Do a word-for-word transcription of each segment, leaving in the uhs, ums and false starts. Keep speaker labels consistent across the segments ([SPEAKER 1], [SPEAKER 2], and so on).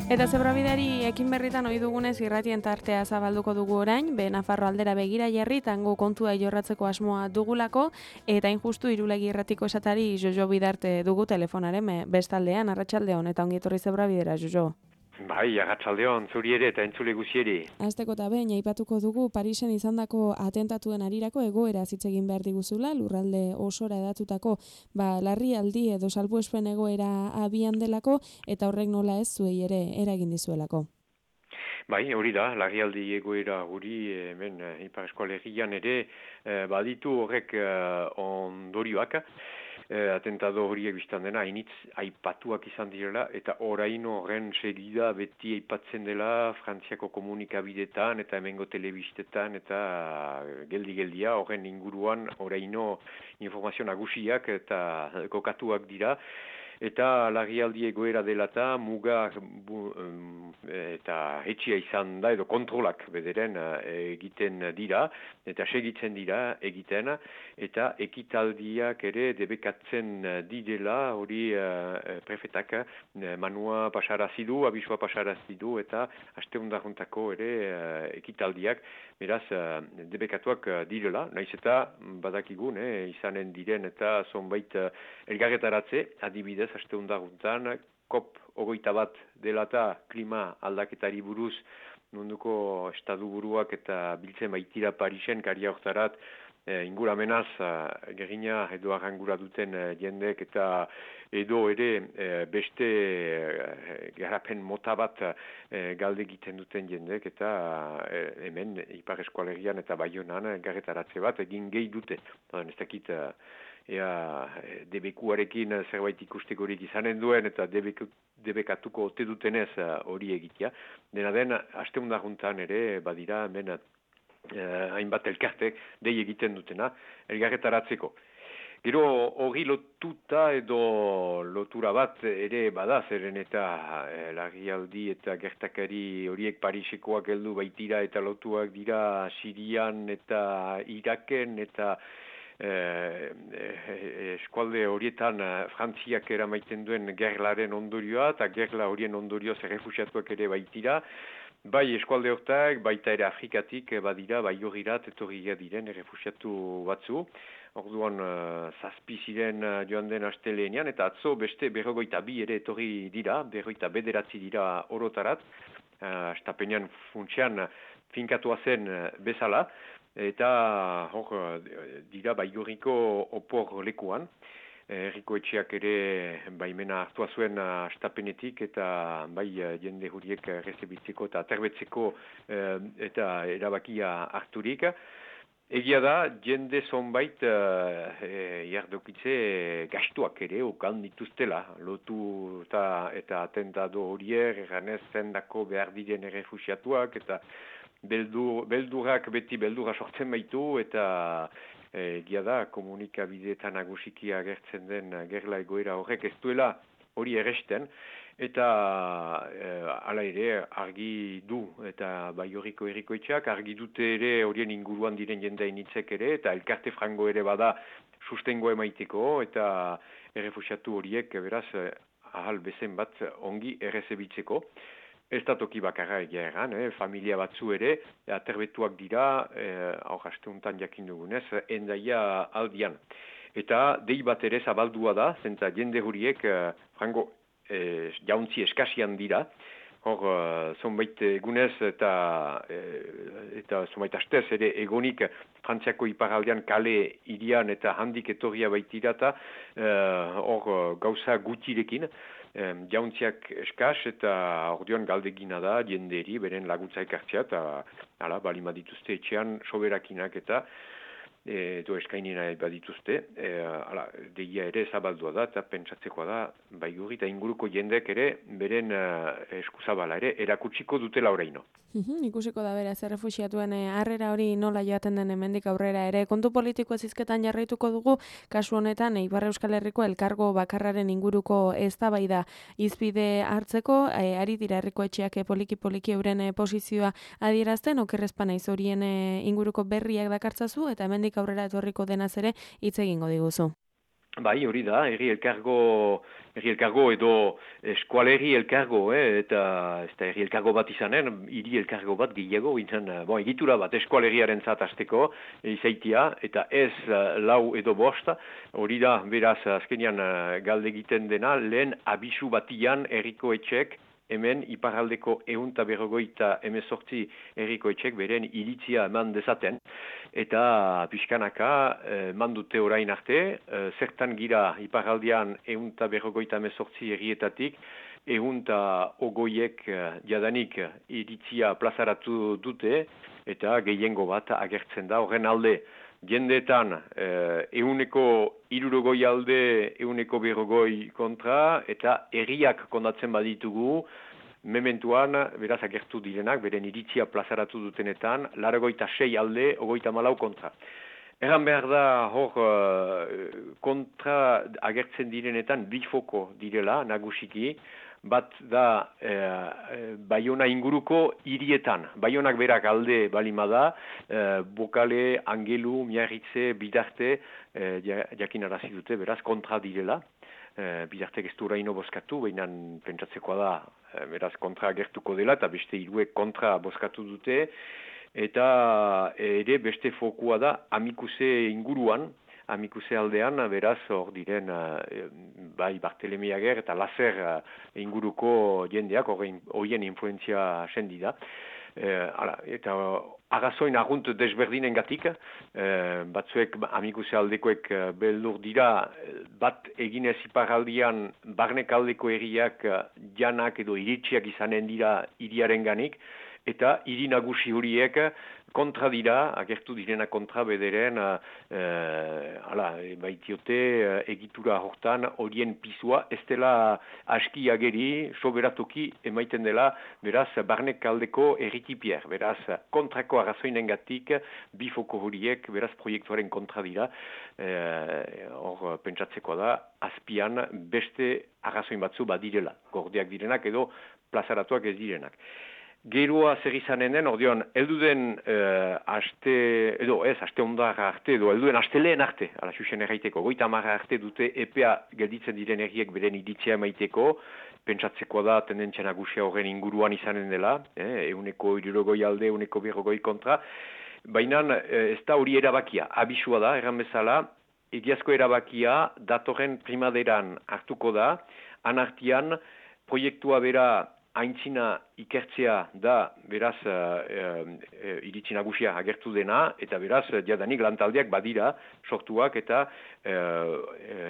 [SPEAKER 1] Eta zebrabideari ekin berritan ohi dugunez irratien tartea zabalduko dugu orain, be Nafarro aldera begira jarri tango kontua jorratzeko asmoa dugulako, eta injustu Irulegi irratiko esatari Jojo Bidarte dugu telefonaren bestaldean, arratsaldeon eta ongi etorri zebrabidera, Jojo.
[SPEAKER 2] Bai, arratsaldeon, zuri ere eta entzule guzieri.
[SPEAKER 1] Hasteko eta behin aipatuko dugu Parisen izandako atentatuen arirako egoera hitz egin behar diguzula, lurralde osora edatutako ba, larrialdi edo salbuespen egoera abian delako, eta horrek nola ez zuei ere eragin dizuelako.
[SPEAKER 2] Bai, hori da, larrialdi egoera guri hemen Ipar Eskualerian ere eh, baditu horrek eh, ondorioak. Eh, atentado horiek biztan dena, hainitz aipatuak izan direla, eta orain horren segida beti aipatzen dela Frantziako komunikabidetan eta hemengo telebistetan eta geldi-geldia horren inguruan oraino informazio nagusiak eta kokatuak dira. Eta larrialdi egoera dela eta muga bu, um, eta etxia izan da edo kontrolak bederen uh, egiten dira eta segitzen dira egiten eta ekitaldiak ere debekatzen didela hori uh, prefetak uh, manua pasarazidu, abisua pasarazidu eta asteundaruntako ere uh, ekitaldiak beraz uh, debekatuak uh, direla, naiz eta badakigun eh, izanen diren eta zonbait uh, elgarretaratze adibidez asteundaguntan, kop hogeita bat dela eta klima aldaketari buruz munduko estadu buruak eta biltzen baitira Parisen karia hortarat e, inguramenaz e, gerina edo arrangura duten e, jendek eta edo ere e, beste e, garapen mota bat e, galde egiten duten jendek eta e, hemen Ipar Eskualerian eta Baionan garretaratze bat egin gehi dute. Ez dakit ea debekuarekin zerbait ikustekorik izanen duen eta debeku, debekatuko ote dutenez hori egitea. Dena den, asteundaguntan ere badira hemen eh, hainbat elkartek dei egiten dutena elgarretaratzeko. Gero hori lotuta edo lotura bat ere bada zeren eta eh, larrialdi eta gertakari horiek Parisekoak heldu baitira eta lotuak dira Sirian eta Iraken eta Eh, eh, eskualde horietan eh, Frantziak eramaiten duen gerlaren ondorioa eta gerla horien ondorioz errefusiatuak ere baitira. Bai eskualde hortak, baita ere Afrikatik badira, bai horirat etorria diren errefusiatu batzu. Orduan uh, zazpi ziren uh, joan den astelenean eta atzo beste berrogoita bi ere etorri dira, berrogoita bederatzi dira orotarat. Uh, Astapenean funtsean finkatua zen uh, bezala. Eta hor dira Baigorriko opor lekuan. Herriko etxeak ere baimena hartua zuen astapenetik eta bai jende huriek rezebitzeko eta aterbetzeko eta erabakia harturik. Egia da, jende zonbait e, jardokitze gastuak ere okan dituztela. Lotu eta, eta atentado horiek, erranez zendako behar diren errefusiatuak eta Beldur, beldurak beti beldura sortzen baitu eta egia da komunikabideetan nagusiki agertzen den gerla egoera horrek ez duela hori erresten eta e, hala ere argi du eta Baigorriko herrikoetxeak argi dute ere horien inguruan diren jendein hitzek ere eta elkarte frango ere bada sustengo emaiteko eta errefusiatu horiek beraz ahal bezen bat ongi errezebitzeko. Ez da toki bakarra egia egan, eh? Familia batzu ere, aterbetuak dira, eh, hor asteuntan jakin dugunez, endaia aldian. Eta dei bat ere zabaldua da, zenta jende huriek, eh, frango, eh, jauntzi eskasian dira, hor uh, zonbait egunez eta, eh, eta zonbait astez ere egonik Frantziako iparaldean kale irian eta handik etorria baitira eta hor uh, gauza gutirekin, Um, jauntziak eskas eta ordean galdegina da jenderi beren laguntza ekartzea eta hala, balima dituzte etxean soberakinak eta edo eskainina badituzte, e, ala, deia ere zabaldua da eta pentsatzekoa da Baigorri eta inguruko jendek ere beren uh, eskuzabala ere erakutsiko dutela oraino.
[SPEAKER 1] Uhum, ikusiko da beraz errefuxiatuen harrera hori nola joaten den hemendik aurrera ere. Kontu politiko ezizketan jarraituko dugu, kasu honetan Ipar Euskal Herriko elkargo bakarraren inguruko eztabaida hizpide hartzeko, e, ari dira herriko etxeak poliki-poliki euren e, posizioa adierazten, okerrezpa naiz horien e, inguruko berriak dakartzazu eta hemendik aurrera etorriko denaz ere hitz egingo diguzu.
[SPEAKER 2] Bai, hori da, herri elkargo, herri elkargo edo eskualerri elkargo, eh, eta ez da herri elkargo bat izanen, hiri elkargo bat gehiago, intzen, bon, egitura bat eskualerriaren zat azteko, izaitia, eta ez lau edo bost, hori da, beraz, azkenean galde egiten dena, lehen abisu batian herriko etxek, hemen iparraldeko ehun eta berrogeita hemezortzi herriko etxek beren iritzia eman dezaten. Eta pixkanaka eh, mandute orain arte, eh, zertan gira iparraldean ehun eta berrogeita hemezortzi herrietatik, ehun eta ogoiek eh, jadanik iritzia plazaratu dute, eta gehiengo bat agertzen da horren alde. Jendeetan, eh, euneko irurogoi alde, euneko berrogoi kontra, eta herriak kondatzen baditugu, mementuan, beraz agertu direnak, beren iritzia plazaratu dutenetan, laragoita sei alde, ogoita malau kontra. Erran behar da, hor, kontra agertzen direnetan, bifoko direla, nagusiki, bat da eh, Baiona inguruko hirietan. Baionak berak alde balima da, eh, Bokale, Angelu, Miarritze, Bidarte, eh, jakinarazi dute, beraz, kontra direla. Eh, Bidarte ez du oraino bozkatu, baina pentsatzekoa da, eh, beraz, kontra agertuko dela, eta beste hiruek kontra bozkatu dute, eta ere beste fokua da, Amikuse inguruan, Amikuse aldean, beraz, hor diren, bai, Bartelemi Ager eta Lazer inguruko jendeak, horien influenzia sendi da. Eh, ala, eta agazoin argunt desberdinen gatik, eh, batzuek Amikuse aldekoek beldur dira, bat eginez iparraldian barnek aldeko herriak janak edo iritsiak izanen dira hiriaren ganik, eta hiri nagusi horiek kontra dira, agertu direna kontra bederen, eh, ala, baitiote egitura hortan horien pisua, ez dela aski ageri, soberatoki emaiten dela, beraz, barnek aldeko erritipier, beraz, kontrako arrazoinengatik, bifoko horiek, beraz, proiektuaren kontra dira, hor eh, pentsatzekoa da, azpian beste arrazoin batzu badirela, gordiak direnak edo plazaratuak ez direnak. Geroa zer izanen den, ordeon, elduden uh, aste, edo ez, aste ondarra arte, edo elduden aste lehen arte, ala xuxen erraiteko, goita marra arte dute epea gelditzen diren herriek beren iritzia emaiteko, pentsatzekoa da tendentzia nagusia horren inguruan izanen dela, eh, euneko irurogoi alde, euneko berrogoi kontra, baina eh, ez da hori erabakia, abisua da, erran bezala, egiazko erabakia datorren primaderan hartuko da, anartian proiektua bera aintzina ikertzea da, beraz, uh, uh, iritsi nagusia agertu dena, eta beraz, jadanik lantaldeak badira sortuak eta uh,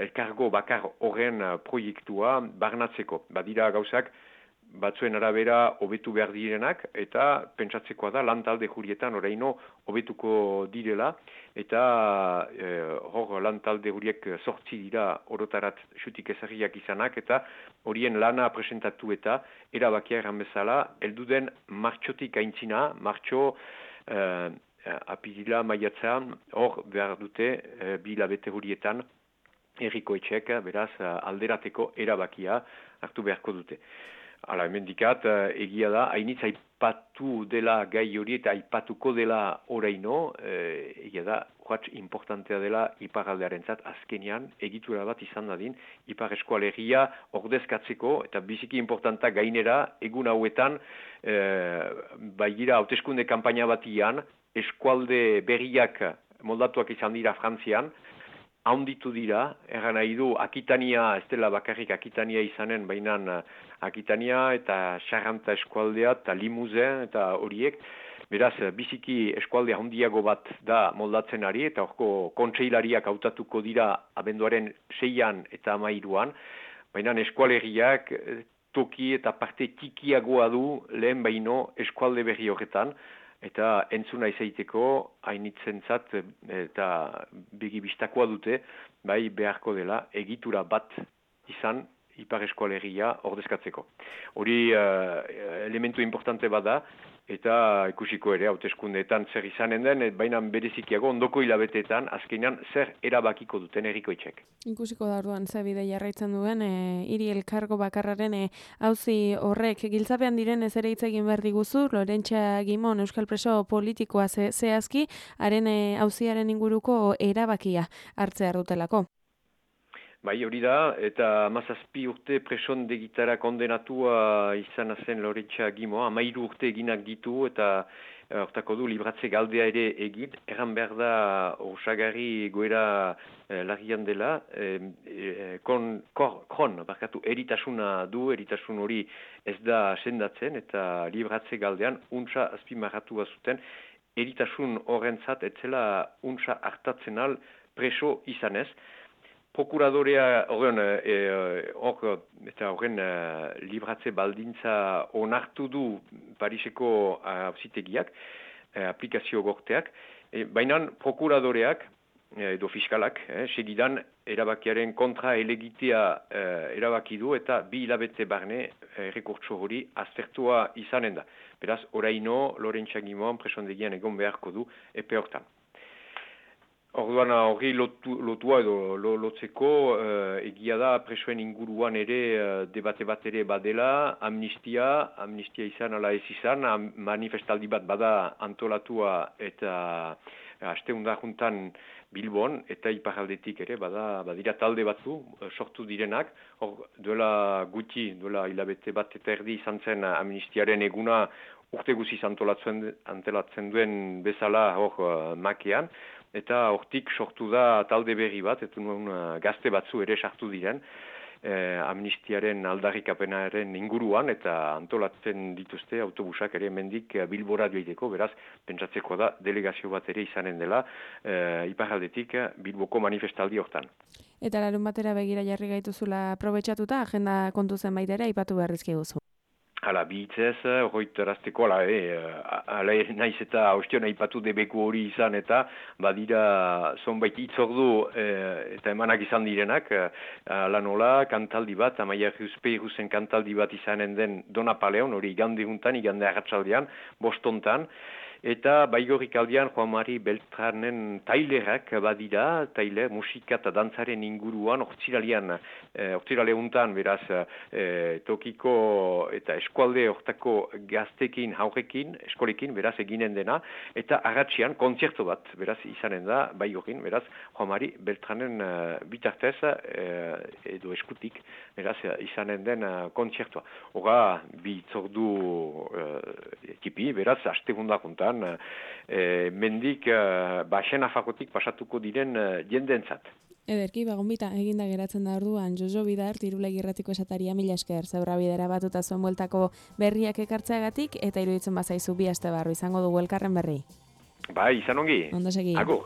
[SPEAKER 2] elkargo bakar horren proiektua barnatzeko. Badira gauzak, batzuen arabera hobetu behar direnak, eta pentsatzekoa da lantalde jurietan oraino hobetuko direla, eta eh, hor lantalde huriek sortzi dira orotarat xutik ezagiak izanak, eta horien lana presentatu eta erabakia erran bezala, elduden martxotik aintzina, martxo eh, apirila maiatzan, hor behar dute eh, bi labete hurietan, herriko etxek, beraz, alderateko erabakia hartu beharko dute. Hala, hemen dikat, egia da, hainitz aipatu dela gai hori eta aipatuko dela oraino, eh, egia da, urratx importantea dela iparraldearen zat, azkenean, egitura bat izan dadin, ipar eskualegia ordezkatzeko, eta biziki importanta gainera, egun hauetan, eh, baigira hauteskunde kanpaina batian, eskualde berriak moldatuak izan dira Frantzian, haunditu dira, erran nahi du, Akitania, ez dela bakarrik Akitania izanen, baina Akitania eta Charanta eskualdea eta Limousin eta horiek, beraz, biziki eskualdea handiago bat da moldatzen ari, eta horko kontseilariak hautatuko dira abenduaren seian eta amairuan, baina eskualeriak toki eta parte tikiagoa du lehen baino eskualde berri horretan, eta entzuna izaiteko hainitzentzat eta begibistakoa dute, bai beharko dela egitura bat izan ipar eskualegia ordezkatzeko. Hori uh, elementu importante bada, eta ikusiko ere hauteskundeetan zer izanen den, baina berezikiago ondoko hilabeteetan azkenean zer erabakiko duten herriko etxek.
[SPEAKER 1] Ikusiko da orduan ze bide jarraitzen duen, e, hiri elkargo bakarraren auzi e, horrek giltzapean diren ez ere hitz egin behar diguzu, Lorentxa Gimon euskal preso politikoa ze, zehazki, haren auziaren inguruko erabakia hartzea dutelako.
[SPEAKER 2] Bai, hori da, eta hamazazpi urte presondegitara kondenatua izan zen Loretxa Gimoa, hamairu urte eginak ditu eta hortako du libratze galdea ere egin, erran behar da osagarri goera eh, lagian dela, eh, eh, kon, kor, kron, barkatu, eritasuna du, eritasun hori ez da sendatzen eta libratze galdean untsa azpimarratua zuten, eritasun horrentzat etzela untsa hartatzen al preso izanez. Prokuradorea horren hor eta horren uh, libratze baldintza onartu du Pariseko auzitegiak, uh, aplikazio gorteak, e, baina prokuradoreak edo fiskalak, eh, segidan erabakiaren kontra elegitea eh, erabaki du eta bi hilabete barne errekurtso hori aztertua izanen da. Beraz, oraino Loretxa Gimoan presondegian egon beharko du epe hortan. Orduan hori lotu, lotua edo lotzeko uh, egia da presoen inguruan ere uh, debate bat ere badela, amnistia, amnistia izan ala ez izan, manifestaldi bat bada antolatua eta uh, asteunda juntan Bilbon eta iparraldetik ere bada badira talde batzu uh, sortu direnak, hor duela gutxi, duela hilabete bat eta erdi izan zen amnistiaren eguna urte guziz antolatzen, antolatzen duen bezala hor uh, makean, eta hortik sortu da talde berri bat, eta nuen uh, gazte batzu ere sartu diren, eh, amnistiaren aldarrikapenaren inguruan, eta antolatzen dituzte autobusak ere mendik Bilbora joiteko, beraz, pentsatzeko da delegazio bat ere izanen dela, eh, iparraldetik Bilboko manifestaldi hortan.
[SPEAKER 1] Eta larun batera begira jarri gaituzula aprobetxatuta, agenda kontu zenbait ere aipatu beharrizki guzu.
[SPEAKER 2] Hala, bihitzez, horretarazteko, ala, e, ala naiz eta ostion aipatu debeku hori izan eta badira zonbait hitzordu e, eta emanak izan direnak, ala nola, kantaldi bat, Amaia Juspeirruzen kantaldi bat izanen den Dona Paleon, hori igande juntan, igande arratsaldean, bostontan, eta baigorrik aldean Juan Mari Beltranen tailerak badira, tailer, musika eta dantzaren inguruan, ortsiralean, e, ortsirale untan, beraz, e, tokiko eta eskualde hortako gaztekin, haurekin, eskolekin, beraz, eginen dena, eta arratxian kontzertu bat, beraz, izanen da, baigorrin, beraz, Juan Mari Beltranen e, bitartez, e, edo eskutik, beraz, izanen den e, kontzertua. Hora, bi itzordu e, ekipi, beraz, astegunda juntan, E, mendik uh, basen afakotik pasatuko diren uh, jendentzat.
[SPEAKER 1] Ederki, bagonbita, eginda geratzen da orduan, Jojo Bidar, Tirulegi irratiko esataria mila esker, zeurra bidera batuta zuen bueltako berriak ekartzeagatik, eta iruditzen bazaizu bi aste barru izango dugu elkarren berri.
[SPEAKER 2] Bai, izan ongi.
[SPEAKER 1] Ondo segi.
[SPEAKER 2] Agur.